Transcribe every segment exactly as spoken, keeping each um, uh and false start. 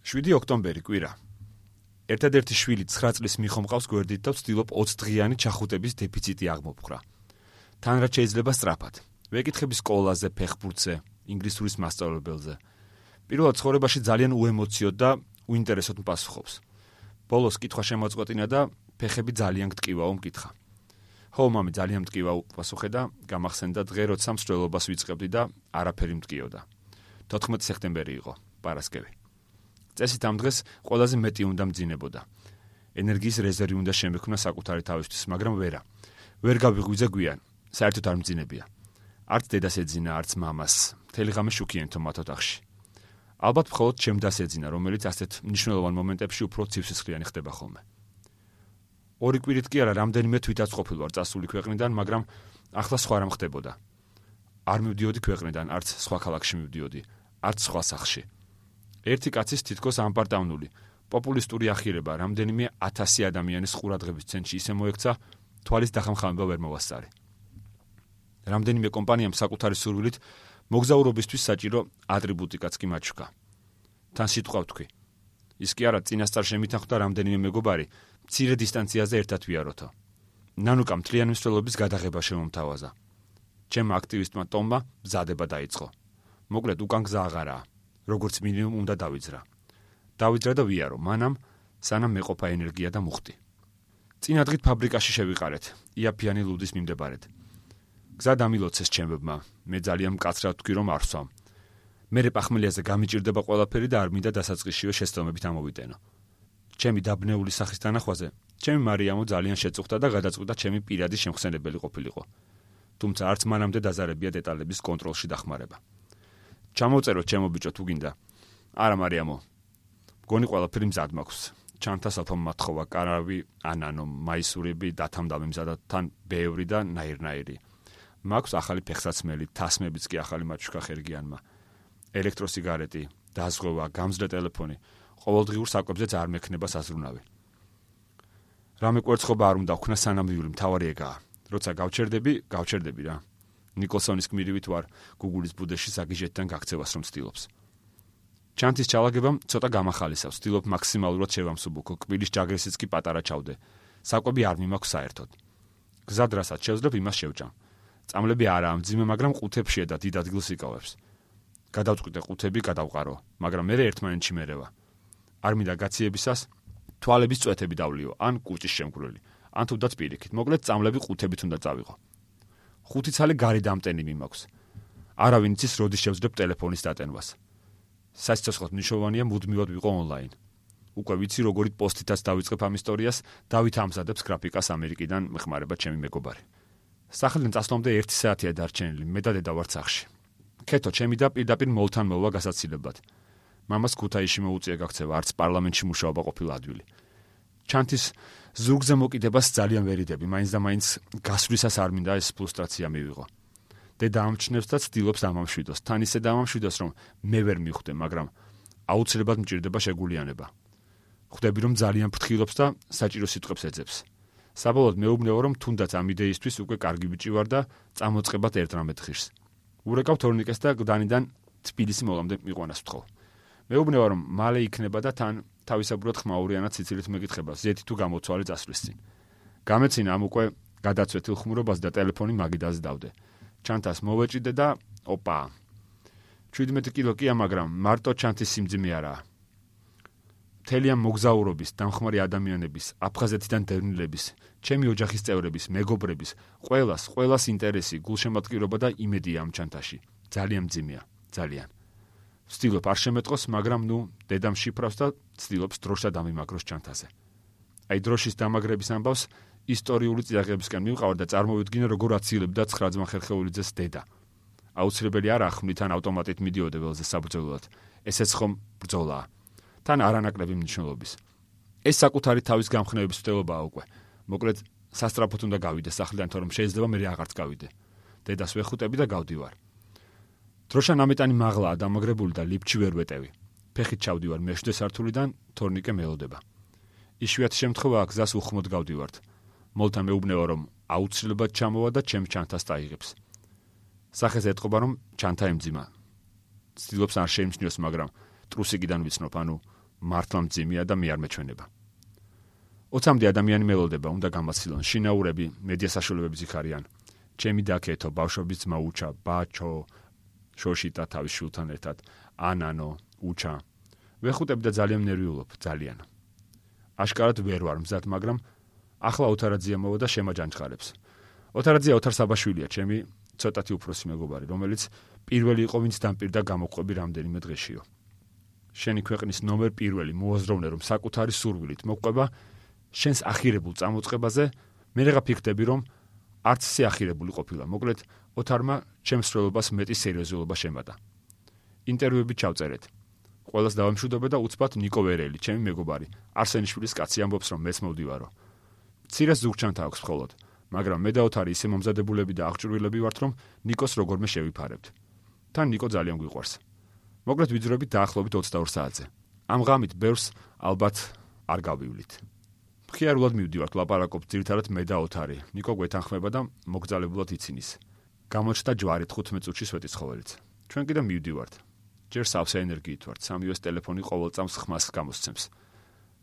შვიდი ოქტომბერი კვირა. ერთადერთი შვილი ცხრა წლის მიხო მყავს გვერდით და ვცდილობ ოცი დღიანი ჩახუტების დეფიციტი აღმოფხრა. თან რაც შეიძლება სწრაფად. ვეკითხები სკოლაზე, ფეხბურთზე, ინგლისურის მასწავლებელზე. პირველად ცხოვრებაში ძალიან უემოციოდ და უინტერესოდ მპასუხობს. ბოლოს კითხვა შემოწყვეტინა და ფეხები ძალიან გტკივაო მკითხა. ხო, მამი, ძალიან მტკივა უპასუხე და გამახსენდა დღე, როცა მსვლელობას ვიწყებდი და არაფერი მტკიოდა. თოთხმეტი სექტემბერი იყო, პარასკევი. წესით ამ დღეს ყველაზე მეტი უნდა მძინებოდა. ენერგიის რეზერვი უნდა შემექმნა საკუთარი თავისთვის, მაგრამ ვერა. ვერ გავიღვიძე გვიან, საერთოდ არ მძინებია. არც დედას ეძინა, არც მამას. მთელი ღამე შუქიენთო მათ ოთახში. ალბათ მხოლოდ ჩემ დას ეძინა, რომელიც ასეთ მნიშვნელოვან მომენტებში უფრო ცივსისხლიანი ხდება ხოლმე. ორი კვირით კი არა, რამდენიმე თვითაც ყოფილ ვარ წასული ქვეყნიდან, მაგრამ ახლა სხვა რამ ხდებოდა. არ მივდიოდი ქვეყნიდან, არც სხვა ქალაქში მივდიოდი, არც სხვა სახლში. ერთი კაცის თითქოს ამპარტავნული, პოპულისტური ახირება რამდენიმე ათასი ადამიანის ყურადღების ცენტრში ისე მოექცა, თვალის დახამხამება ვერ მოვასწარი. რამდენიმე კომპანიამ საკუთარი სურვილით მოგზაურობისთვის საჭირო ატრიბუტიკაც კი მაჩვქა. თან სიტყვა ვთქვი. ის კი არა, წინასწარ შემითანხმდა რამდენიმე მეგობარი მცირე დისტანციაზე ერთად ვიაროთო. ნანუკა მთლიანი მსვლელობის გადაღება შემომთავაზა. ჩემმა აქტივისტმა ტომმა მზადება დაიწყო. მოკლედ უკან გზა აღარაა. როგორც მინიმუმ უნდა დავიძრა. დავიძრა და ვიარო, მანამ სანამ მეყოფა ენერგია და მუხტი. წინა დღით ფაბრიკაში შევიყარეთ, იაფიანი ლუდის მიმდებარედ. გზა დამილოცეს ჩემებმა, მე ძალიან მკაცრად ვთქვი, რომ არ ვსვამ. მერე პახმელიაზე გამიჭირდება ყველაფერი და არ მინდა დასაწყისშივე შეცდომებით ამოვიტენო. ჩემი დაბნეული სახის თანახვაზე, ჩემი მარიამო ძალიან შეწუხდა და გადაწყვიტა ჩემი პირადი შემხსენებელი ყოფილიყო. თუმცა არც მანამდე დაზარებია დეტალების კონტროლში დახმარება. ჩამოვწეროთ ჩემო ბიჭო თუ გინდა. არა მარიამო. გონი ყველაფერი მზად მაქვს. ჩანთა საფომ მათხოვა, კარავი, ანანო, მაისურები, დათამდავი მზადა, თან ბევრი და ნაირნაირი. მაქვს ახალი ფეხსაცმელი, თასმებიც კი ახალი მაჩვქა ხერგიანმა. ელექტროსიგარეტი, დაზღვევა, გამძლე ტელეფონი. ყოველდღიურ საკვებზეც არ მექნება საზრუნავი. რამე კვერცხობა არ უნდა ვქნა სანამ მთავარი ეგაა. როცა გავჩერდები, გავჩერდები რა. ნიკოლსონის გმირივით ვარ გუგულის ბუდეში საგიჟეთთან გაქცევას რომ ცდილობს. ჩანთის ჩალაგებამ ცოტა გამახალისავს, ცდილობ მაქსიმალურად შევამსუბუქო, კბილის ჯაგრისიც კი პატარა ჩავდე. საკვები არ მიმაქვს საერთოდ. გზად რასაც შევძლებ, იმას შევჭამ. წამლები არაა მძიმე, მაგრამ ყუთებშია და დიდ ადგილს იკავებს. გადავწყვიტე ყუთები გადავყარო, მაგრამ მე ერთმანეთში მერევა. არ მინდა გაციებისას თვალების წვეთები დავლიო, ან კუჭის შემგვრელი, ან თუნდაც პირიქით. მოკლედ წამლები ყუთებით უნდა წავიღო. ხუთი ცალი გარი დამტენი მიმაქვს. არავინ იცის როდის შევძლებ ტელეფონის დატენვას. სასიცოცხლოდ მნიშვნელოვანია მუდმივად ვიყო ონლაინ. უკვე ვიცი როგორი პოსტითაც დავიწყებ ამ ისტორიას, დავით ამზადებს გრაფიკას ამერიკიდან მეხმარება ჩემი მეგობარი. სახლიდან წასვლამდე ერთი საათია დარჩენილი, მე და დედა ვართ სახლში. ქეთო ჩემი და პირდაპირ მოლთან მოვა გასაცილებლად. მამას ქუთაისში მოუწია გაქცევა, არც პარლამენტში მუშაობა ყოფილა ადვილი. ჩანთის ზურგზე მოკიდებას ძალიან ვერიდები, მაინც და მაინც გასვლისას არ მინდა ეს ფრუსტრაცია მივიღო. დედა ამჩნევს და ცდილობს დამამშვიდოს, თან ისე დამამშვიდოს, რომ მე ვერ მივხვდე, მაგრამ აუცილებლად მჭირდება შეგულიანება. ხვდები, რომ ძალიან ფრთხილობს და საჭირო სიტყვებს ეძებს. საბოლოოდ მეუბნეო, რომ თუნდაც ამ იდეისთვის უკვე კარგი ბიჭი ვარ და წამოწყებად ერთ რამეთ ხირს. ურეკავ თორნიკეს და გდანიდან თბილისი მოლამდე მიყვანას ვთხოვ. მეუბნეო, რომ მალე იქნება და თან თავისებურად ხმაურიანად ციცილით მეკითხება, ზეთი თუ გამოცვალე წასვლის წინ. გამეცინა ამ უკვე გადაცვეთილ ხმურობას და ტელეფონი მაგიდაზე დავდე. ჩანთას მოვეჭიდე და ოპა. შვიდმეტი კილო კია, მაგრამ მარტო ჩანთის სიმძიმე არაა. მთელი ამ მოგზაურობის, დამხმარე ადამიანების, აფხაზეთიდან დევნილების, ჩემი ოჯახის წევრების, მეგობრების, ყველას, ყველას ინტერესი, გულშემატკივრობა და იმედია ამ ჩანთაში. ძალიან მძიმეა, ძალიან. ვცდილობ არ შემეტყოს, მაგრამ ნუ დედამ შიფრავს და ვცდილობს დროშა დამიმაგროს ჩანთაზე. აი დროშის დამაგრების ამბავს ისტორიული წიაღებისკენ მივყავარ და წარმოვიდგინე, როგორ აცილებდა ცხრა ძმა ხერხეულიძეს დედა. აუცილებელი არა ხმლით ან ავტომატით მიდიოდა ველზე საბრძოლოდ. ესეც ხომ ბრძოლაა. თან არანაკლები მნიშვნელობის. ეს საკუთარი თავის გამხნევების ვთელობაა უკვე. მოკლედ სასტრაფოდ უნდა გავიდე სახლიდან, თორემ შეიძლება მე აღარც გავიდე. დედას ვეხუტები და გავდივარ. დროშა ნამეტანი მაღლაა დამაგრებული და ლიფტში ვერ ვეტევი. ფეხით ჩავდივარ მეშვიდე სართულიდან, თორნიკე მელოდება. იშვიათი შემთხვევაა გზას უხმოდ გავდივართ. მოლთან მეუბნეო, რომ აუცილებლად ჩამოვა და ჩემ ჩანთას დაიღებს. სახეს ეტყობა, რომ ჩანთა ემძიმა. ცდილობს არ შეიმჩნიოს, მაგრამ ტრუსიკიდან ვიცნობ, ანუ მართლა მძიმეა და მე არ მეჩვენება. ოცამდე ადამიანი მელოდება, უნდა გამაცილონ, შინაურები, მედია საშუალებები ზიქარიან. ჩემი დაკეთო, ბავშვობის ძმა უჩა, ბაჩო, შოშიტა თავის შვილთან ერთად, ანანო, უჩა. ვეხუტები და ძალიან ნერვიულობ, ძალიან. აშკარად ვერ ვარ მზად, მაგრამ ახლა ოთარაძია მოვა და შემაჯანჯღარებს. ოთარაძია ოთარ საბაშვილია, ჩემი ცოტათი უფროსი მეგობარი, რომელიც პირველი იყო, ვინც დამპირდა გამოყვები რამდენიმე დღეშიო. შენი ქვეყნის ნომერ პირველი მოაზროვნე, რომ საკუთარი სურვილით მოყვება შენს ახირებულ წამოწყებაზე, მე რა ფიქრდები, რომ არც ისე ახირებული ყოფილა. მოკლედ, ოთარმა ჩემს სრულობას მეტი სერიოზულობა შემატა. ინტერვიუები ჩავწერეთ. ყველას დავამშვიდობე და უცბად ნიკო ვერელი, ჩემი მეგობარი, არსენიშვილის კაცი ამბობს, რომ მეც მოვდივარო. მცირეს ზურგჩანთა აქვს მხოლოდ, მაგრამ მე და ოთარი ისე მომზადებულები და აღჭურვილები ვართ, რომ ნიკოს როგორმე შევიფარებთ. თან ნიკო ძალიან გვიყვარს. მოკლედ ვიძრებით დაახლოებით ოცდაორ საათზე. ამ ღამით ბევრს ალბათ არ გავივლით. მხიარულად მივდივართ, ლაპარაკობთ ძირითადად მე და ოთარი. ნიკო გვეთანხმება და მოგძალებულად იცინის. გამოჩნდა ჯვარი თხუთმეტ წუთში სვეტიცხოველიც. ჩვენ კიდე მივდივართ. ჯერ სავსე ენერგიით ვართ, სამივეს ტელეფონი ყოველ წამს ხმას გამოსცემს.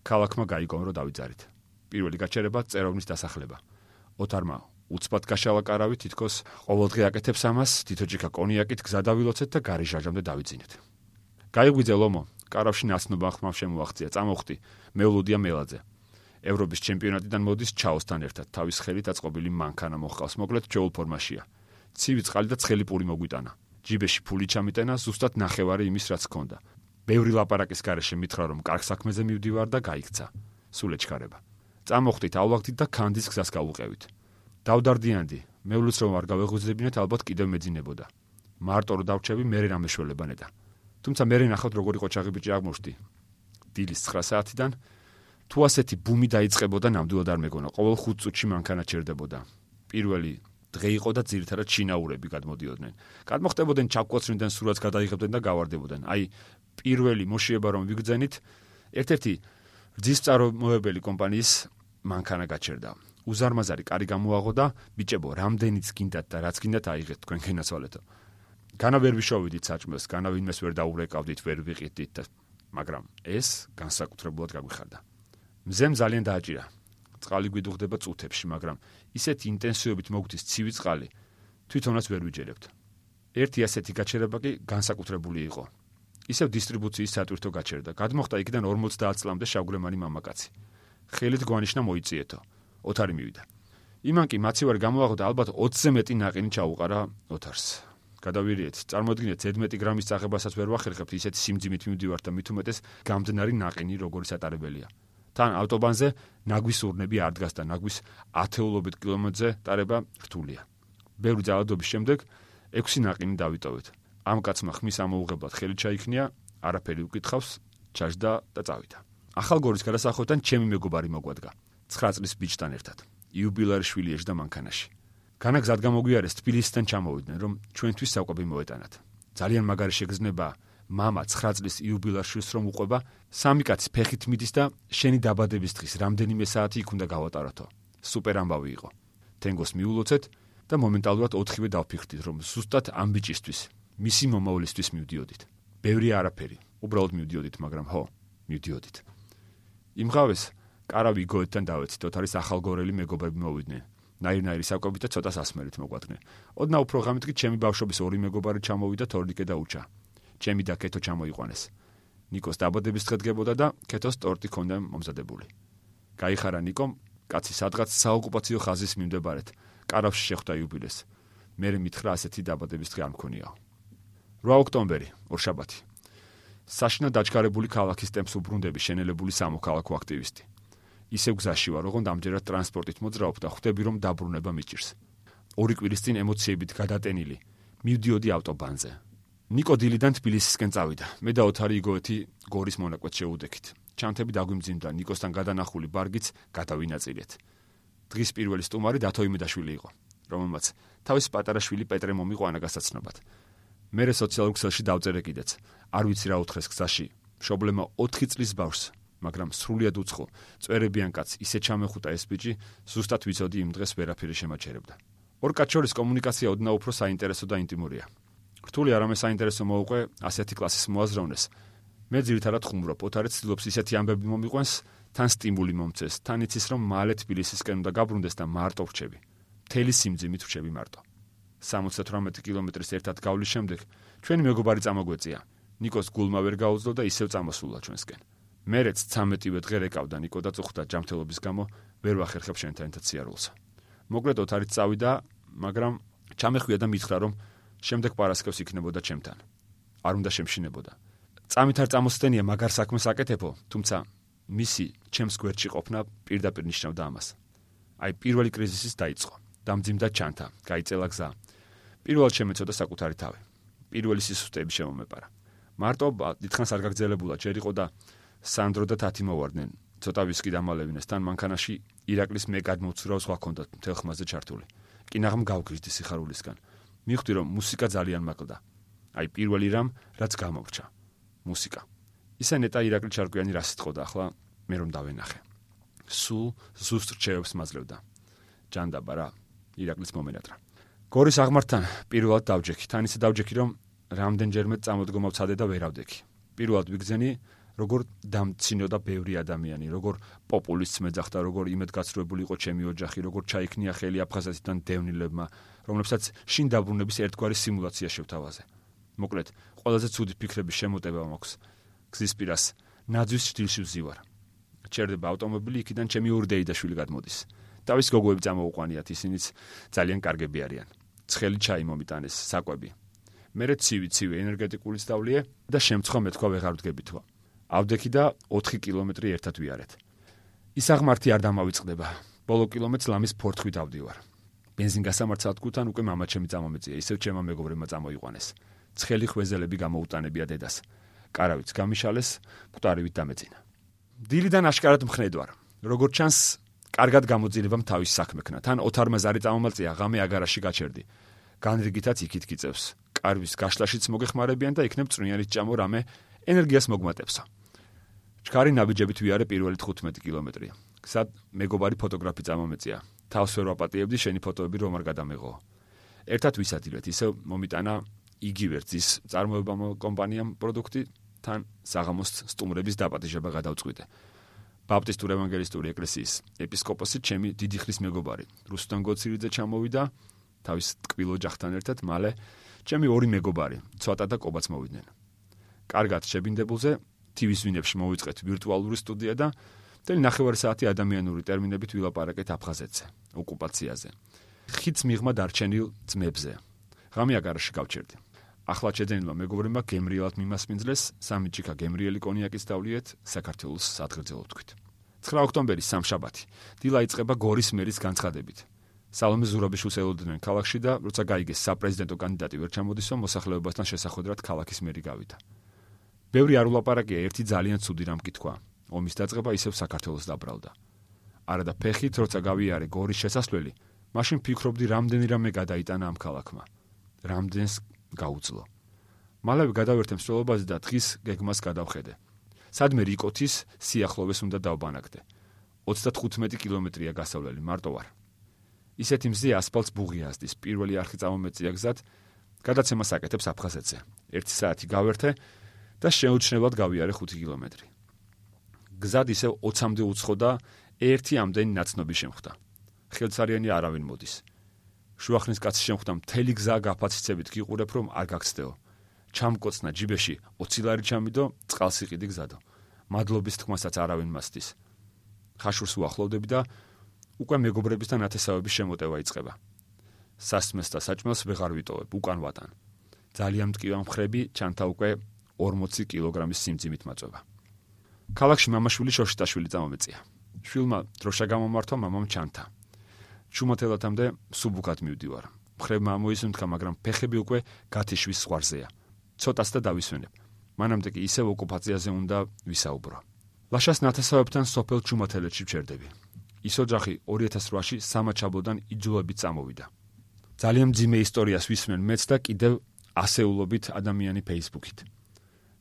ქალაქმა გაიგო, რომ დავიძარით. პირველი გაჩერება წეროვნის დასახლება. ოთარმა უცბად გაშალა კარავი, თითქოს ყოველდღე აკეთებს ამას, თითოჯიქა კონიაკით გზა დავილოცეთ და გარიჟაჟამდე დავიძინეთ. გაიგვიძე ლომო, კარავში ნაცნობა ხმამ შემოაღწია, წამოხტი, მეულოდია მელაძე. ევროპის ჩემპიონატიდან მოდის ჩაოსთან ერთად, თავის ხელით აწყობილი მანქანა მოჰყავს, მოკლედ ჯოულ ფორმაშია. ცივი წყალი და ცხელი პური მოგვიტანა. ჯიბეში ფული ჩამიტენა, ზუსტად ნახევარი იმის, რაც ჰქონდა. ბევრი ლაპარაკის გარეშე მითხრა, რომ კარგ საქმეზე მივდივარ და გაიქცა. სულ ეჩქარება. წამოხტით, ავლაგდით და ქანდის გზას გავუყევით. დავდარდიანდი, მეულუც რომ არ გავეღვიძებინეთ, ალბათ კიდევ მეძინებოდა. მარტო რომ დავრჩები, მერე რა მეშველება ნედა. თუმცა მერე ნახავთ, როგორი ყოჩაღი ბიჭი აღმოჩნდი. დილის ცხრა საათიდან თუ ასეთი ბუმი დაიწყებოდა, ნამდვილად არ მეგონა, ყოველ ხუთ წუთში მანქანა ჩერდებოდა. პირველი დღე იყო და ძირითადად შინაურები გადმოდიოდნენ. გადმოხტებოდნენ, ჩაკვოცრინდნენ, სურათს გადაიღებდნენ და გავარდებოდნენ. აი, პირველი მოშიება რომ ვიგრძენით, ერთ-ერთი რძის მწარმოებელი კომპანიის მანქანა გაჩერდა. უზარმაზარი კარი გამოაღო და ბიჭებო, რამდენიც გინდათ და რაც გინდათ აიღეთ თქვენ გენაცვალეთო. განა ვერ ვიშოვიდით საჭმელს, განა ვინმეს ვერ დაურეკავდით, ვერ ვიყიდით, მაგრამ ეს განსაკუთრებულად გაგვიხარდა. მზემ ძალიან დააჭირა. წყალი გვიდუღდება წუთებში, მაგრამ ისეთი ინტენსივობით მოგვდის ცივი წყალი, თვითონაც ვერ ვიჯერებთ. ერთი ასეთი გაჩერება კი განსაკუთრებული იყო. ისევ დისტრიბუციის სატვირთო გაჩერდა. გადმოხდა იქიდან ორმოცდაათ წლამდე შავგრემანი მამაკაცი. ხელით გვანიშნა მოიწიეთო. ოთარი მივიდა. იმან კი მაცივარი გამოაღო და ალბათ ოცზე მეტი ნაყინი ჩაუყარა ოთარს. გადავირიეთ, წარმოედგინეთ, ზედმეტი გრამის წაღებასაც ვერ ვახერხებთ, ისეთი სიმძიმით მივდივართ და მით უმეტეს გამდნარი ნაყინი როგორი სატარებელია. თან ავტობანზე ნაგვის ურნები არ დგას და ნაგვის ათეულობით კილომეტრზე ტარება რთულია. ბევრი ძალადობის შემდეგ ექვსი ნაყინი დავიტოვეთ. ამ კაცმა ხმის ამოუღებლად ხელი ჩაიქნია, არაფერი უკითხავს, ჩაჯდა და წავიდა. ახალგორის გადასახვევთან ჩემი მეგობარი მოგვადგა. ცხრა წლის ბიჭთან ერთად. იუბილარიშვილი ეშდა მანქანაში. განა გზად გამოგვიარეს, თბილისიდან ჩამოვიდნენ, რომ ჩვენთვის საკვები მოეტანათ. ძალიან მაგარი შეგრძნება, მამა ცხრა წლის იუბილარიშვილს რომ უყვება, სამი კაცი ფეხით მიდის და შენი დაბადების დღის რამდენიმე საათი იქ უნდა გავატაროთო. სუპერ ამბავი იყო. თენგოს მიულოცეთ და მომენტალურად ოთხივე დავფიქრდით, რომ ზუსტად ამ ბიჭისთვის, მისი მომავლისთვის მივდიოდით. ბევრი არაფერი, უბრალოდ მივდიოდით, მაგრამ ხო, მივდიოდით. იმღავეს კარავი გოეთთან დავეცით, ოთარის ახალგორელი მეგობრები მოვიდნენ. ნაირ-ნაირი საკვებით და ცოტა სასმელით მოგვადგნენ. ოდნავ უფრო ღამით კი ჩემი ბავშვობის ორი მეგობარი ჩამოვიდა, თორნიკე და უჩა. ჩემი და კეთო ჩამოიყვანეს. ნიკოს დაბადების დღე დგებოდა და კეთოს ტორტი ჰქონდა მომზადებული. გაიხარა ნიკომ, კაცი სადღაც საოკუპაციო ხაზის მიმდებარედ, კარავში შეხვდა იუბილეს. მერე მითხრა ასეთი დაბადების დღე არ მქონიაო. რვა ოქტომბერი, ორშაბათი. საშინა დაჩქარებული ქალაქის ტემპს უბრუნდები შენელებული სამოქალაქო აქტივისტი. ისევ გზაში ვარ, ოღონდ ამჯერად ტრანსპორტით მოძრაობ და ხვდები, რომ დაბრუნება მიჭირს. ორი კვირის წინ ემოციებით გადატენილი, მივდიოდი ავტობანზე. ნიკო დილიდან თბილისისკენ წავიდა. მე და ოთარი იგოეთი გორის მონაკვეთ შეუდექით. ჩანთები დაგვიმძიმდა, ნიკოსთან გადანახული ბარგიც გადავინაწილეთ. დღის პირველი სტუმარი დათო იმედაშვილი იყო, რომელმაც თავის პატარა შვილი პეტრე მომიყვანა გასაცნობად. მერე სოციალურ ქსელში დავწერე კიდეც. არ ვიცი რა უთხრეს გზაში. მშობლებმა ოთხი წლის ბავშვს, მაგრამ სრულიად უცხო, წვერებიან კაცს ისე ჩამეხუტა ეს ბიჭი, ზუსტად ვიცოდი იმ დღეს ვერაფერი შემაჩერებდა. ორ კაცს შორის კომუნიკაცია ოდნავ უფრო საინტერესო და ინტიმურია. რთული არამე საინტერესო მოუყვე ასეთი კლასის მოაზროვნეს მე ძირითადად ხუმრობ, ოთარი ცდილობს ისეთი ამბები მომიყვანს, თან სტიმული მომწეს, თან იცის რომ მალე თბილისისკენ უნდა გაბრუნდეს და მარტო ვრჩები. მთელი სიმძიმით ვრჩები მარტო. სამოცდათვრამეტი კილომეტრის ერთად გავლის შემდეგ ჩვენი მეგობარი წამოგვეწია. ნიკოს გულმა ვერ გაუძლო და ისევ წამოსულა ჩვენსკენ. მერეც ცამეტივე დღე რეკავდა ნიკო და წუხდა ჯანმრთელობის გამო ვერ ვახერხებ შენთან ერთად სიარულს. მოკლედ ოთარით წავიდა, მაგრამ ჩამეხვია და მითხრა რომ შემდეგ პარასკევს იქნებოდა ჩემთან. არ უნდა შემშინებოდა. წამით არ წამოსდენია მაგარ საქმეს აკეთებო, თუმცა მისი ჩემს გვერდში ყოფნა პირდაპირ ნიშნავდა ამას. აი პირველი კრიზისის დაიწყო. დამძიმდა ჩანთა, გაიწელა გზა. პირველად შემეცოდა საკუთარი თავი. პირველი სისუსტეები შემომეპარა. მარტო დიდხანს არ გაგრძელებულა, ჯერ იყო და სანდრო და თათი მოვარდნენ. ცოტა ვისკი დამალევინეს, თან მანქანაში ირაკლის მე გადმოვცურავ სხვა ქონდათ მთელ ხმაზე ჩართული. კინაღამ გავგრიზდი სიხარულისგან. მივხვდი რომ მუსიკა ძალიან მაკლდა. აი პირველი რამ, რაც გამოვრჩა. მუსიკა. ისა ნეტა ირაკლი ჩარკვიანი რა სიტყოდა ახლა მე რომ დავენახე. სულ ზუსტ რჩევებს მაძლევდა. ჯანდაბა რა, ირაკლის მომენატრა. გორის აღმართთან პირველად დავჯექი, თან ისე დავჯექი რომ რამდენჯერმე წამოდგომა ვცადე და ვერავდექი. პირველად ვიგზენი როგორ დამცინოდა ბევრი ადამიანი, როგორ პოპულისტს მეძახდა, როგორ იმედგაცრუებული იყო ჩემი ოჯახი, როგორ ჩაიქნია ხელი აფხაზეთიდან დევნილებმა, რომლებსაც შინ დაბრუნების ერთგვარი სიმულაცია შევთავაზე. მოკლედ, ყველაზე ცუდი ფიქრების შემოტება მაქვს. გზის პირას ნაძვის ჭრილში ვზივარ. ჩერდება ავტომობილი, იქიდან ჩემი ორი დეიდაშვილი გადმოდის. თავის გოგოები წამოუყვანიათ, ისინიც ძალიან კარგები არიან. ცხელი ჩაი მომიტანეს, საკვები. მერე ცივი-ცივი ენერგეტიკული სწავლიე და შემცხვა მეთქვა ვეღარ ვდგებითო. ავდექი და ოთხი კილომეტრი ერთად ვიარეთ. ის აღმართი არ დამავიწყდება. ბოლო კილომეტრს ლამის ფორთხით ავდივარ. ბენზინგასამართ სადგურთან უკვე მამაჩემი წამომეწია, ისევ ჩემმა მეგობრებმა წამოიყვანეს. ცხელი ხვეზელები გამოუტანებია დედას. კარავიც გამიშალეს, მკვდარივით დამეწინა. დილიდან აშკარად მხნედვარ. როგორც ჩანს, კარგად გამოძილებამ თავის საქმექნა. თან ოთარმა ზარი წამომალწია, ღამე აგარაში გაჩერდი. განრიგითაც იქით გიწევს. კარვის გაშლაშიც მოგეხმარებიან და იქნებ წვნიანით ჭამო რამე ენერგიას მოგმატებსო. ჩქარი ნაბიჯებით ვიარე პირველი თხუთმეტი კილომეტრი. გზად მეგობარი ფოტოგრაფი წამომეწია. თავს ვერ ვაპატიებდი, შენი ფოტოები რომ არ გადამეღო. ერთად ვისადილეთ, ისევ მომიტანა იგივე რძის წარმოება კომპანიამ პროდუქტი, თან საღამოს სტუმრების დაპატიჟება გადავწყვიტე. ბაპტისტურ ევანგელისტური ეკლესიის ეპისკოპოსი ჩემი დიდი ხნის მეგობარი, რუსტან გოცირიძე ჩამოვიდა, თავის ტკბილ ოჯახთან ერთად, მალე ჩემი ორი მეგობარი, ცოტა და კობაც მოვიდნენ. კარგად შებინდებულზე ტივის ვინებში მოვიწყეთ ვირტუალური სტუდია და მთელი ნახევარი საათი ადამიანური ტერმინებით ვილაპარაკეთ აფხაზეთზე, ოკუპაციაზე. ხიდს მიღმა დარჩენილ ძმებზე. ღამე აგარაში გავჩერდი. ახლა შეძენილმა მეგობრებმა გემრიელად მიმასპინძლეს, სამი ჭიქა გემრიელი კონიაკის დავლიეთ, საქართველოს სადგრძელო თქვით. ცხრა ოქტომბერი სამშაბათი. დილა იწყება გორის მერის განცხადებით. სალომე ზურაბიშვილს ელოდნენ ქალაქში და როცა გაიგეს საპრეზიდენტო კანდიდატი ვერ ჩამოდისო, მოსახლეობასთან შესახვედრად ქალაქის მერი გავიდა. ბევრი არ ულაპარაკია, ერთი ძალიან ცუდი რამ კითხვა. ომის დაწყება ისევ საქართველოს დაბრალდა. არა და ფეხით როცა გავიარე გორის შესასვლელი, მაშინ ფიქრობდი რამდენი რამე გადაიტანა ამ ქალაქმა. რამდენს გაუძლო. მალევე გადავერთე მსვლელობაზე და დღის გეგმას გადავხედე. სადმე რიკოთის სიახლოვეს უნდა დავბანაკდე. ოცდათხუთმეტი კილომეტრია გასავლელი, მარტო ვარ. ისეთი მზე ასფალტს ბუღი ასდის, პირველი არხი წამომეწია გზად, გადაცემას აკეთებს აფხაზეთზე. ერთი საათი გავერთე და შეუჩნებლად გავიარე ხუთი კილომეტრი. გზად ისევ ოცამდე უცხო და ერთი ამდენი ნაცნობი შემხვდა. ხელცარიანი არავინ მოდის. შუახნის კაცი შემხვდა, მთელი გზა გაფაციცებით გიყურებ, რომ არ გაგცდეო. ჩამკოცნა ჯიბეში ოცი ლარი ჩამიდო, წყალს იყიდი გზადო. მადლობის თქმასაც არავინ მასდის. ხაშურს უახლოვდები და უკვე მეგობრებისთან ათესავების შემოტევა იწყება. სასმეს და საჭმელს ვეღარ ვიტოვებ, უკან ვატან. ძალიან მტკივან მხრები, ჩანთა უკვე ორმოცი კილოგრამის სიმძიმით მაწვება. ქალაქში მამაშვილი შოშიტაშვილი წამომეწია. შვილმა დროშა გამომართვა, მამამ ჩანთა. ჩუმათელათამდე სუბუქად მივდივარ. მხრებმა ამოისუნთქა, მაგრამ ფეხები უკვე გათიშვის ზღვარზეა. ცოტას და დავისვენებ. მანამდე კი ისევ ოკუპაციაზე უნდა ვისაუბრო. ლაშას ნათესავებთან სოფელ ჩუმათელეთში ვჩერდები. ის ოჯახი ორი ათას რვაში სამაჩაბლოდან იძულებით წამოვიდა. ძალიან მძიმე ისტორიას ვისმენ მეც და კიდევ ასეულობით ადამიანი Facebook-ით.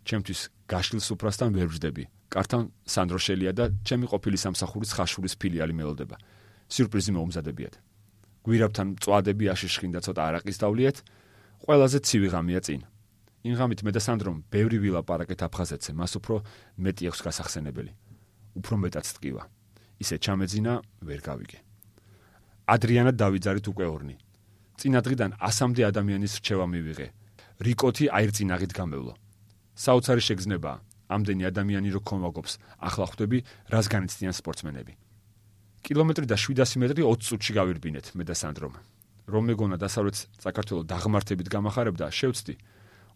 ჩემთვის გაშლილ სუფრასთან ვერ ვждები. კართან სანდრო შელია და ჩემი ყოფილი სამსახურის ხაშურის ფილიალი მელოდება. სიურპრიზი მოუმზადებიათ. გვირავთან მწვადები აშიშხინ და ცოტა არაყის დავლიეთ, ყველაზე ცივი ღამეა წინ. იმ ღამით მე და სანდრომ ბევრი ვილაპარაკეთ აფხაზეთზე, მას უფრო მეტი აქვს გასახსენებელი. უფრო მეტად ტკივა. ისე ჩამეძინა, ვერ გავიგე. ადრიანა დავიძარით უკვე ორნი. წინა დღიდან ასამდე ადამიანის რჩევა მივიღე. რიკოთი აირწინაღით გამევლო. საოცარი შეგრძნებაა. ამდენი ადამიანი რო ქომაგობს, ახლა ხვდები, რას განიცდიან სპორტსმენები. კილომეტრი და შვიდასი მეტრი ოცი წუთში გავირბინეთ მე და სანდრომ. რომ მეგონა დასავლეთ საქართველოს დაღმართებით გამახარებდა, შევცდი.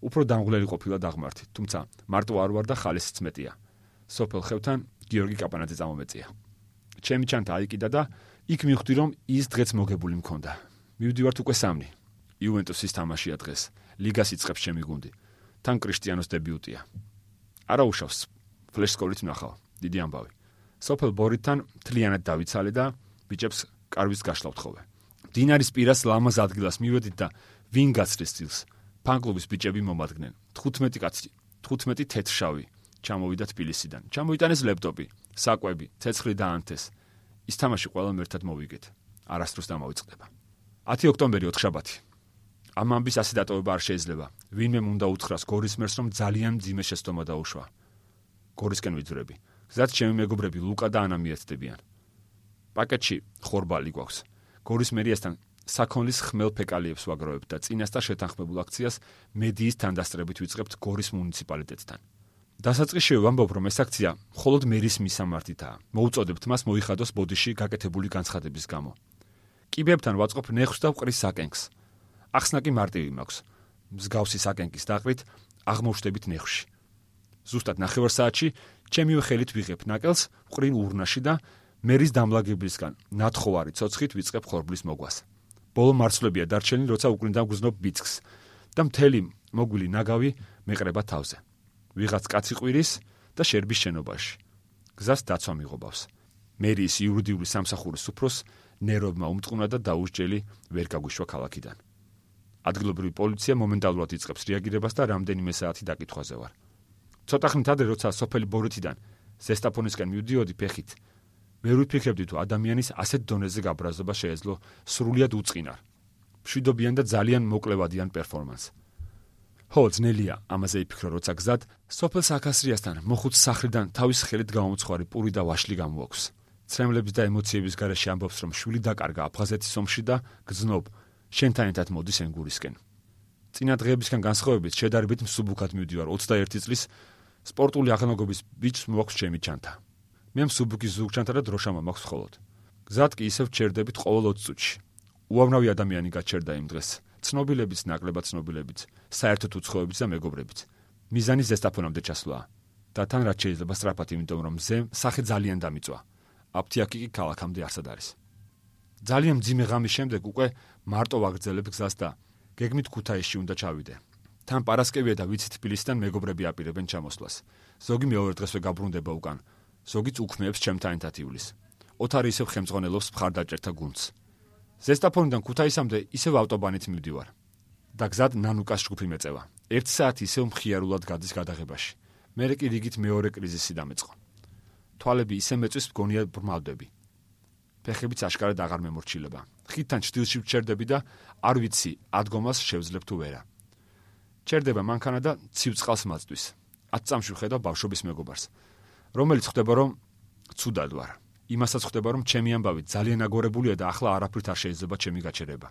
უფრო დამღლელი ყოფილა დაღმართი, თუმცა მარტო არ ვარ და ხალისიც მეტია. სოფელ ხევთან გიორგი კაპანაძე წამომეწია. ჩემი ჩანთა აიკიდა და იქ მივხვდი, რომ ის დღეც მოგებული მქონდა. მივდივართ უკვე სამნი. იუვენტუსის თამაშია დღეს. ლიგას იწყებს ჩემი გუნდი. თან კრისტიანოს დებიუტია. არა უშავს, ფლეშსკოლით ვნახავ, დიდი ამბავი. სოფელ ბორითთან მთლიანად დავიცალე და ბიჭებს კარვის გაშლა ვთხოვე. დინარის პირას ლამაზ ადგილას მივედით და ვინ გაცდის წილს? ფანკლუბის ბიჭები მომადგნენ. თხუთმეტი კაცი, თხუთმეტი თეთრშავი. ჩამოვიდა თბილისიდან. ჩამოიტანეს ლეპტოპი, საკვები, ცეცხლი და ანთეს. ის თამაში ყველამ ერთად მოვიგეთ. არასდროს დამავიწყდება. ათი ოქტომბერი ოთხშაბათი. ამ ამბის ასე დატოვება არ შეიძლება. ვინმე უნდა უთხრას გორის მერს, რომ ძალიან მძიმე შეცდომა დაუშვა. გორისკენ ვიძვრები. გზად ჩემი მეგობრები ლუკა და ანა მიერთდებიან. პაკეტში ხორბალი გვაქვს. გორის მერიასთან საქონლის ხმელ ფეკალიებს ვაგროვებთ და წინასწარ შეთანხმებულ აქციას მედიის თანდასწრებით ვიწყებთ გორის მუნიციპალიტეტთან. დასაწყისში ვამბობ, რომ ეს აქცია მხოლოდ მერის მისამართითაა. მოუწოდებთ მას მოიხადოს ბოდიში გაკეთებული განცხადების გამო. კიბებთან ვაწყობ ნეხვს და ვყრის საკენკს. ახსნა კი მარტივი მაქვს. მსგავსი საკენკის დაყრით აღმოჩნდებით ნეხვში. ზუსტად ნახევარ საათში ჩემივე ხელით ვიღებ ნაკელს, ვყრინ ურნაში და მერის დამლაგებლისგან ნათხოვარი ცოცხით ვიწყებ ხორბლის მოგვას. ბოლო მარცვლებია დარჩენილი, როცა უკრინდა ვგრძნობ ბიძგს და მთელი მოგვილი ნაგავი მეყრება თავზე. ვიღაც კაცი ყვირის და შერბის შენობაში. გზას დაცვა მიღობავს. მერიის იურიდიული სამსახურის უფროს ნერვებმა უმწყუნა და დაუსჯელი ვერ გაგვიშვა ქალაქიდან. ადგილობრივი პოლიცია მომენტალურად იწყებს რეაგირებას და რამდენიმე საათი დაკითხვაზე ვარ. ცოტა ხნით ადრე, როცა სოფელი ბორითიდან ზესტაფონისკენ მივდიოდი ფეხით, ვერ ვიფიქრებდი თუ ადამიანის ასეთ დონეზე გაბრაზობა შეეძლო სრულიად უწყინარ, მშვიდობიან და ძალიან მოკლევადიან პერფორმანსს. ხო, ძნელია ამაზე იფიქრო, როცა გზად სოფელ საქასრიასთან მოხუც სახლიდან თავის ხელით გამომცხვარი პური და ვაშლი გამოაქვს. ცრემლების და ემოციების გარეშე ამბობს, რომ შვილი დაკარგა აფხაზეთის ომში და გრძნობ, შენთან ერთად მოდის ენგურისკენ. წინა დღეებისგან განსხვავებით შედარებით მსუბუქად მივდივარ ოცდაერთი წლის სპორტული აღნაგობის ბიჭს მოაქვს ჩემი ჩანთა. მე მსუბუქის ზურგჩანთა და დროშამა მაქვს მხოლოდ. გზად კი ისევ ჩერდებით ყოველ ოცი წუთში. უამრავი ადამიანი გაჩერდა იმ დღეს. ცნობილებიც, ნაკლებად ცნობილებიც, საერთოდ უცხოებიც და მეგობრებიც. მიზანი ზესტაფონამდე ჩასვლაა. და თან რაც შეიძლება სწრაფად, იმიტომ რომ მზე სახე ძალიან დამიწვა. აფთიაქი კი ქალაქამდე არსად არის. ძალიან მძიმე ღამის შემდეგ უკვე მარტო ვაგრძელებ გზას და გეგმით ქუთაისში უნდა ჩავიდე. თან პარასკევია და ვიცით თბილისიდან მეგობრები აპირებენ ჩამოსვლას. ზოგი მეორე დღესვე გაბრუნდება უკან. ზოგიც უქმეებს ჩემთან ერთად ივლის. ოთარი ისევ ხელმძღვანელობს მხარდაჭერთა გუნდს. ზესტაფონიდან ქუთაისამდე ისევ ავტობანით მივდივარ. და გზად ნანუკას ჯგუფი მეწევა. ერთი საათი ისევ მხიარულად გადის გადაღებაში. მერე კი რიგით მეორე კრიზისი დამეწყო. თვალები ისე მეწვის, მგონია ბრმავდები. ფეხებიც აშკარად აღარ მემორჩილება. ხიდთან ჩრდილში ვჩერდები და არ ვიცი ადგომას შევძლებ თუ ვერა. ჩერდება მანქანა და ცივ წყალს მაწვის. ათ წამში ვხედავ ბავშვობის მეგობარს, რომელიც ხვდება, რომ ცუდად ვარ. იმასაც ხვდება, რომ ჩემი ამბავი ძალიან აგორებულია და ახლა არაფრით არ შეიძლება ჩემი გაჩერება.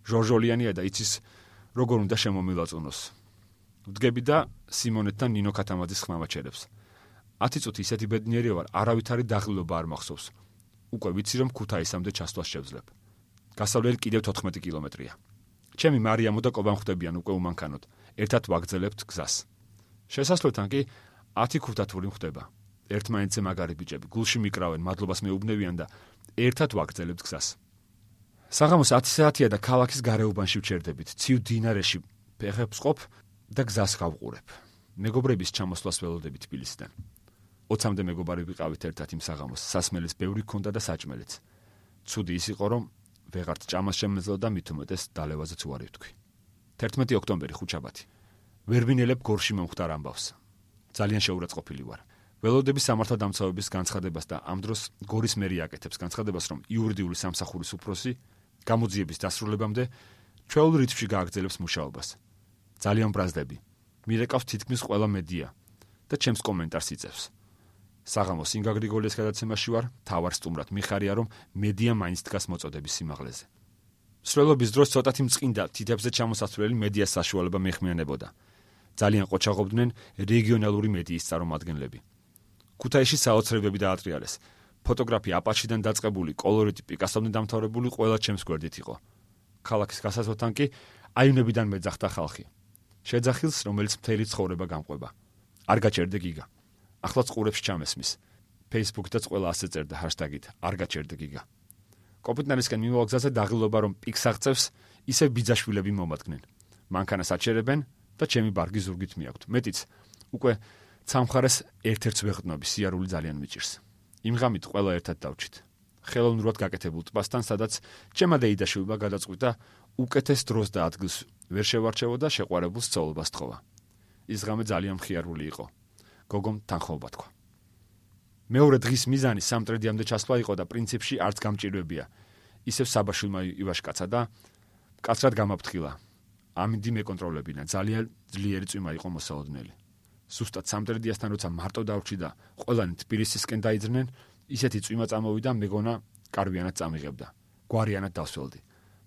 ჟორჟოლიანია და იცის როგორ უნდა შემომილაწუნოს. ვდგები და სიმონეთთან ნინო ქათამაძის ხმამაჩერებს. ათი წუთი ისეთი ბედნიერი ვარ, არავითარი დაღლილობა არ მახსოვს. უკვე ვიცი, რომ ქუთაისამდე ჩასვლას შევძლებ. გასავლელი კიდევ თოთხმეტი კილომეტრია. ჩემი მარიამო და კობამ ხვდებიან უკვე უმანქანოდ. ერთად ვაგრძელებთ გზას. შესასვლელთან კი ათი ქუთათური ხვდება. ერთმანეთზე მაგარი ბიჭები გულში მიკრავენ, მადლობას მეუბნევიან და ერთად ვაგრძელებთ გზას. საღამოს ათი საათია და ქალაქის გარეუბანში ვჩერდებით. ცივ დინარეში ფეხებს ყოფ და გზას გავყურებ. მეგობრების ჩამოსვლას ველოდები თბილისიდან. ოცამდე მეგობარი ვიყავით ერთად იმ საღამოს. სასმელის ბევრი ქონდა და საჭმელიც. ცუდი ის იყო, რომ ვეღართ ჭამას შემეძლო და მით უმეტეს დალევაზეც უარი ვთქვი. თერთმეტი ოქტომბერი ხუთშაბათი. ვერ ვინელებ გორში მომხდარ ამბავს. ძალიან შეურაცხყოფილი ვარ. ველოდების სამართალდამცავების განცხადებას და ამ დროს გორის მერი აკეთებს განცხადებას, რომ იურიდიული სამსახურის უფროსი გამოძიების დასრულებამდე ჩვეულ რიცხვში გააგრძელებს მუშაობას. ძალიან ბრაზდები. მირეკავს თითქმის ყველა მედია და ჩემს კომენტარს იწევს. საღამოს ინგა გრიგოლიას გადაცემაში ვარ, თავარ სტუმრად მიხარია, რომ მედია მაინც დგას მოწოდების სიმაღლეზე. მსვლელობის დროს ცოტათი მწყინდა თითებზე ჩამოსასვლელი მედიას საშუალება მიეხმიანებოდა. ძალიან ყოჩაღობდნენ რეგიონალური მედიის წარმომადგენლები. ქუთაისში საოცრებები დაატრიალეს. ფოტოგრაფი აპაჩიდან დაწყებული, კოლორიტი პიკასომდე დამთავრებული ყველა ჩემს გვერდით იყო. ქალაქის გასასვლელთან კი აივნებიდან მეძახდა ხალხი. შეძახილს, რომელიც მთელი ცხოვრება გამყვება. არ გაჩერდე გიგა. ახლაც ყურებს ჩამესმის. Facebook-დაც ყველა ასე წერდა ჰაშტაგით არ გაჩერდე გიგა. კოპიტნარისკენ მიმავალ გზაზე დაღილობა, რომ პიკს აღწევს, ისევ ბიძაშვილები მომადგნენ. მანქანას აჩერებენ და ჩემი ბარგი ზურგით მიაქვთ. მეტიც უკვე ცამხარეს ერთ-ერთს ვეღდნობი, სიარული ძალიან მიჭირს. იმ ღამით ყველა ერთად დავჭით. ხელოვნურად გაკეთებულ ტბასთან, სადაც ჩემმა დეიდაშვილმა გადაწყვიტა უკეთეს დროს და ადგილს ვერ შევარჩევოდა შეყვარებულ სწავლობას თხოვა. ის ღამე ძალიან მხიარული იყო. გოგომ თანხმობა თქვა. მეორე დღის მიზანი სამტრედიამდე ჩასვლა იყო და პრინციპში არც გამჭირვებია. ისევ საბაშვილმა ივაშკაცა და კაცრად გამაფრთხილა. ამინდი მეკონტროლებინა, ძალიან ძლიერი წვიმა იყო მოსალოდნელი. სუსტად სამტრედიასთან როცა მარტო დავრჩი და ყველანი თბილისისკენ დაიძრნენ, ისეთი წვიმა წამოვიდა, მეგონა კარვიანად წამიღებდა. გვარიანად დავსველდი,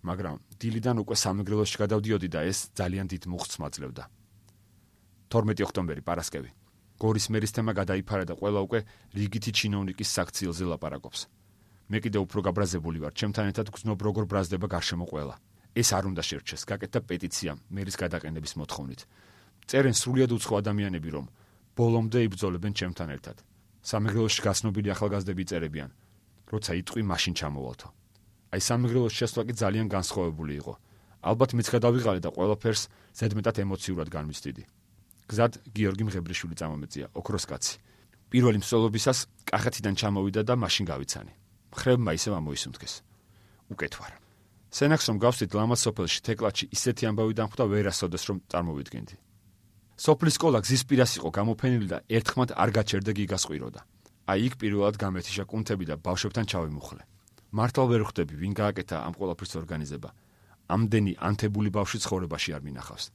მაგრამ დილიდან უკვე სამეგრელოში გადავდიოდი და ეს ძალიან დიდ მუხტს მაძლევდა. თორმეტი ოქტომბერი, პარასკევი. გორის მერის თემა გადაიფარა და ყველა უკვე რიგითი ჩინოვნიკის საქციელზე ლაპარაკობს. მე კიდევ უფრო გაბრაზებული ვარ, ჩემთან ერთად გრძნობ როგორ ბრაზდება გარშემო ყველა. ეს არ უნდა შერჩეს, გაკეთდა პეტიცია მერის გადაყენების მოთხოვნით. წერენ სრულიად უცხო ადამიანები, რომ ბოლომდე იბრძოლებენ ჩემთან ერთად. სამეგრელოში გაცნობილი ახალგაზრდები წერებიან, როცა იტყვი მაშინ ჩამოვალთო. აი სამეგრელოში შესვლა კი ძალიან განსხვავებული იყო. ალბათ მეც გადავიღალე და ყველაფერს ზედმეტად ემოციურად განვიცდიდი. გზად გიორგი მღებრიშვილი წამომეწია, ოქროს კაცი. პირველი მსვლელობისას კახეთიდან ჩამოვიდა და მაშინ გავიცანი. მხრებმა ისევ ამოისუნთქეს. უკეთ ვარ. სენაკს რომ გავსვით ლამაზ სოფელში თეკლაჩი ისეთი ამბავი დამხვდა, ვერასოდეს რომ წარმოვიდგენდი. სოფლის სკოლა გზის პირას იყო გამოფენილი და ერთხმად არ გაჩერდა გიგას ყვიროდა. აი იქ პირველად გამეთიშა კუნთები და ბავშვებთან ჩავიმუხლე. მართლა ვერ ხვდები, ვინ გააკეთა ამ ყველაფრის ორგანიზება. ამდენი ანთებული ბავშვი ცხოვრებაში არ მინახავს.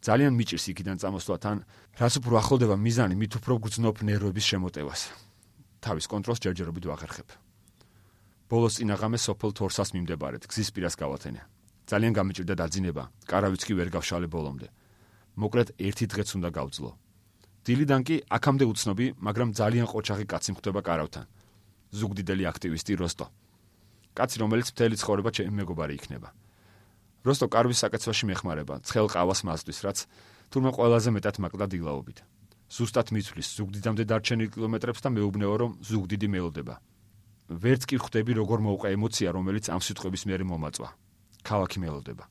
ძალიან მიჭირს იქიდან წამოსვლა, თან რაც უფრო ახლდება მიზანი, მით უფრო გრძნობ ნერვების შემოტევას. თავის კონტროლს ჯერჯერობით ვაღერხებ. ბოლოს წინაღამე სოფელ თორსას მიმდებარედ გზის პირას გავათენე. ძალიან გამიჭირდა დაძინება, კარავიც კი ვერ გავშალე ბოლომდე. მოკლედ ერთი დღეც უნდა გავძლო. დილიდან კი აქამდე უცნობი, მაგრამ ძალიან ყოჩაღი კაცი მხვდება კარავთან. ზუგდიდელი აქტივისტი როსტო. კაცი, რომელიც მთელი ცხოვრება ჩემი მეგობარი იქნება. როსტო კარვის საკაცვაში მეხმარება, ცხელ ყავას მასთვის, რაც თურმე ყველაზე მეტად მაკლდა დილაობით. ზუსტად მიცვლის ზუგდიდამდე დარჩენილ კილომეტრებს და მეუბნეო, რომ ზუგდიდი მეულდება. ვერც კი ხვდები, როგორ მოვყე ემოცია, რომელიც ამ სიტყვების მერე მომაწვა. ქალაქი მელოდება.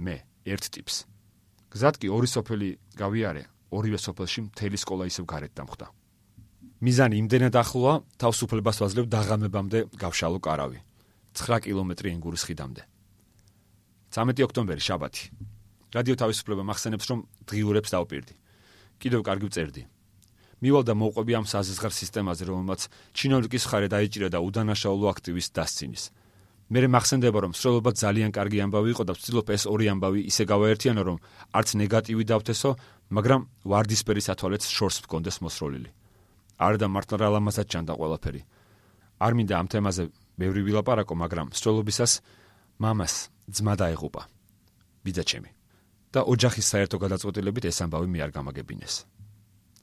მე ერთ ტიპს. გზად კი ორი სოფელი გავიარე, ორივე სოფელში მთელი სკოლა ისევ გარეთ დამხვდა. მიზანი იმდენად ახლოა, თავისუფლებას ვაძლევ დაღამებამდე გავშალო კარავი. ცხრა კილომეტრი ენგურის ხიდამდე. ცამეტი ოქტომბერი, შაბათი. რადიო თავისუფლება მახსენებს, რომ დღიურებს დავპირდი. კიდევ კარგი ვწერდი. მივალ და მოვყვები ამ საზღარ სისტემაზე, რომელმაც ჩინოვნიკის მხარე დაიჭირა და უდანაშაულო აქტივისტს დასცინის. მერე მახსენდება, რომ სროლობა ძალიან კარგი ამბავი იყო და ვცდილობ ეს ორი ამბავი ისე გავაერთიანო, რომ არც ნეგატივი დავთესო, მაგრამ ვარდისფერი სათვალეც შორს მქონდეს მოსროლილი. არა და მართლა რა ლამაზად ჩანდა ყველაფერი. არ მინდა ამ თემაზე ბევრი ვილაპარაკო, მაგრამ სროლობისას მამას ძმა დაეღუპა. ბიძაჩემი. და ოჯახის საერთო გადაწყვეტილებით ეს ამბავი მე არ გამაგებინეს.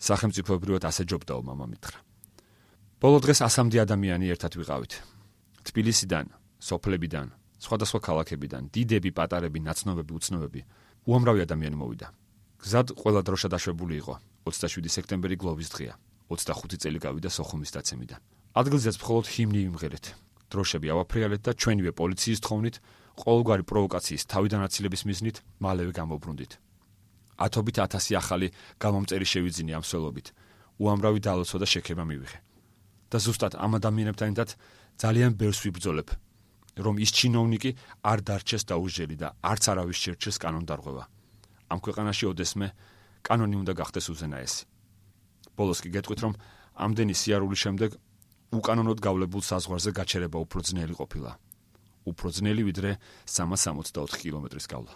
სახელმწიფოებრივად ასე ჯობდაო მამა მითხრა. ბოლო დღეს ასამდე ადამიანი ერთად ვიყავით. თბილისიდან, სოფლებიდან, სხვადასხვა ქალაქებიდან, დიდები, პატარები, ნაცნობები, უცნობები, უამრავი ადამიანი მოვიდა. გზად ყველა დროშა დაშვებული იყო. ოცდაშვიდი სექტემბერი გლოვის დღეა. ოცდახუთი წელი გავიდა სოხუმის დაცემიდან. ადგილზეც მხოლოდ ჰიმნი ვიმღერეთ. დროშები ავაფრიალეთ და ჩვენივე პოლიციის თხოვნით, ყოველგვარი პროვოკაციის თავიდანაცილების მიზნით მალევე გამოვბრუნდით. ათობით ათასი ახალი გამომწერი შევიძინე ამ სველობით. უამრავი დალოცვა და შექება მივიღე. და ზუსტად ამ ადამიანებთან ერთად ძალიან ბევრს ვიბრძოლებ, რომ ის ჩინოვნიკი არ დარჩეს დაუჟელი და არც არავის შერჩეს კანონდარღვევა. ამ ქვეყანაში ოდესმე კანონი უნდა გახდეს უზენაესი. ბოლოს კი გეტყვით, რომ ამდენი სიარულის შემდეგ უკანონოდ გავლებულ საზღვარზე გაჩერება უფრო ძნელი ყოფილა. უფრო ძნელი ვიდრე სამას სამოცდაოთხი კილომეტრის გავლა.